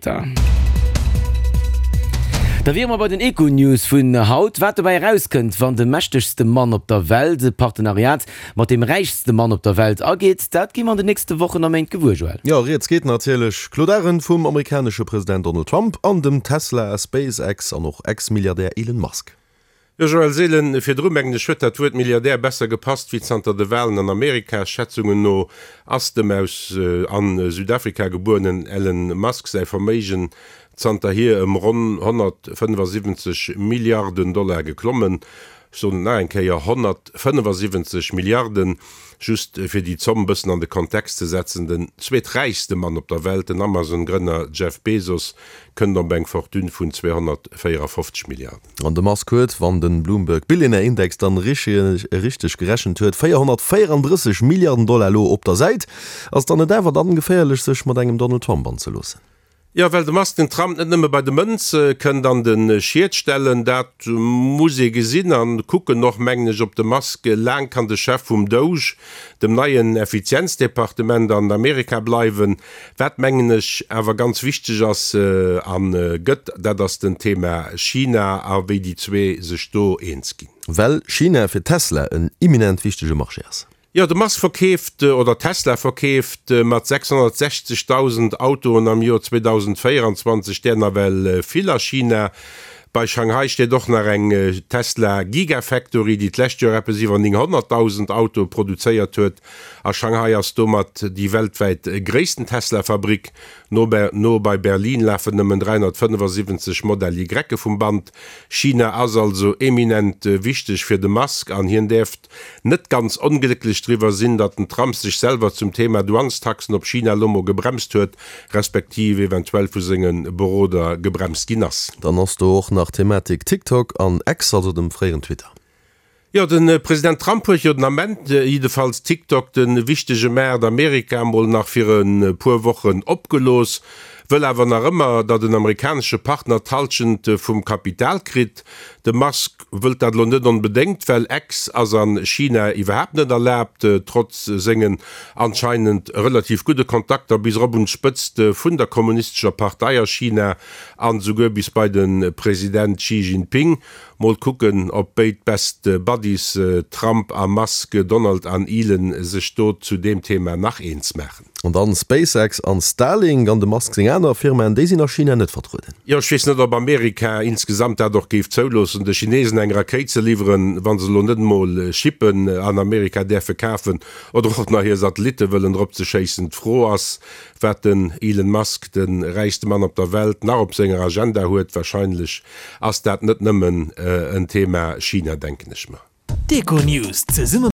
Conter. Da wiere mer bei den Econews vun haut. Wat dobäi erauskënnt, wann de mächtegste Mann op der Welt e Partenariat mat deem räichste Mann op der Welt ageet, dat gi mer an den nächste Wochen a Méint gewuer, Joël. Jo, rieds geet natierlech, Claude Arend, vum amerikanesche President Donald Trump an dem Tesla, SpaceX an och Ex-Milliardär Elon Musk. Jo, Joël Seelen, virdru mengen ech huet dat Wuert Milliardär besser gepasst wéi zanter de Walen an Amerika. Schätzungen no ass dem aus an Südafrika gebuerenen Elon Musk säi Verméigen zanterhier ëm ronn 175 Milliarden Dollar geklommen. Ech soen et nach eng Kéier, 175 Milliarden! Just fir déi Zomm bëssen an de Kontext ze setzen, Den zweeträichste Mann op der Welt, den Amazon-Grënner Jeff Bezos, kënnt op eng Fortune vun 254 Milliarden. An de Musk huet, wann de Bloomberg Billionaire Index dann richteg gerechent huet, 434 Milliarden Dollar elo op der Säit. Ass dann net awer dann geféierlech sech mat engem Donald Trump anzeloossen? Jo, well de Musk den Trump net nëmme bei de Mënz kënnt an de Schiet stellen, dat muss ee gesinn a kucken och, mengen ech, ob de Musk laang kann de Chef vum DOGE, dem neien Effizienzdepartement an Amerika bleiwen. Wat, mengen ech, awer ganz wichteg ass a gëtt, dat ass den Thema China a wéi déi zwee sech do eens ginn. Well China fir Tesla en imminent wichtege Marché ass. Jo, de Musk verkeeft, oder Tesla verkeeft mat 660.000 Autoen am Joer 2024 där nawell vill a China. Bei Shanghai steet och nach eng Tesla Gigafactory, déi d'lescht Joer eppes iwwer 900.000 Autoe produzéiert huet. A Shanghai ass domat déi weltwäit gréissten Tesla-Fabrick. No no bei Berlin lafen nëmmen 375 Modell Y vum Band. China ass also eminent wichteg fir de Musk an hien däerft net ganz onglécklech driwwer sinn, datt den Trump sech selwer zum Thema Douanestaxen op China lo mol gebremst huet, respektiv eventuell vu senge Beroder gebremst ginn ass. Dann ass do och nach d'Thematik TikTok an X, also dem fréieren Twitter. Jo, de President Trump huet jo den Ament jiddefalls TikTok, de wichtege Maart Amerika, mol nach fir e puer Wochen opgelooss, wëll awer nach ëmmer, datt en amerikanesche Partner d'Hallschent vum Kapital kritt. De Musk wëllt dat elo net onbedéngt, well X ass a China iwwerhaapt net erlaabt, trotz sengen anscheinend relativ gudde Kontakter bis erop un d'Spëtzt vun der kommunistescher Partei a China an esouguer bis bei de President Xi Jinping. Mol kucken op béid Best Buddies Trump a Musk, Donald an Elon sech do zu deem Thema nach eens maachen. An dann SpaceX an Starlink an dem Musk seng aner Firmaen, déi sinn a China net vertrueden. Jo, ech weess net op Amerika insgesamt dat och géif zouloossen, de Chinesen eng Rakéit ze liwweren, wa se elo net emol Chippen an Amerika däerfe kafen oder och nach hir Satellitte wëllen drop ze schéissen. D'Fro ass, wat den Elon Musk, de räichste Mann op der Welt, nach op senger Agenda huet. Wahrscheinlech ass dat net nëmmen en Thema China, denken ech mer. D'Econews zesumme.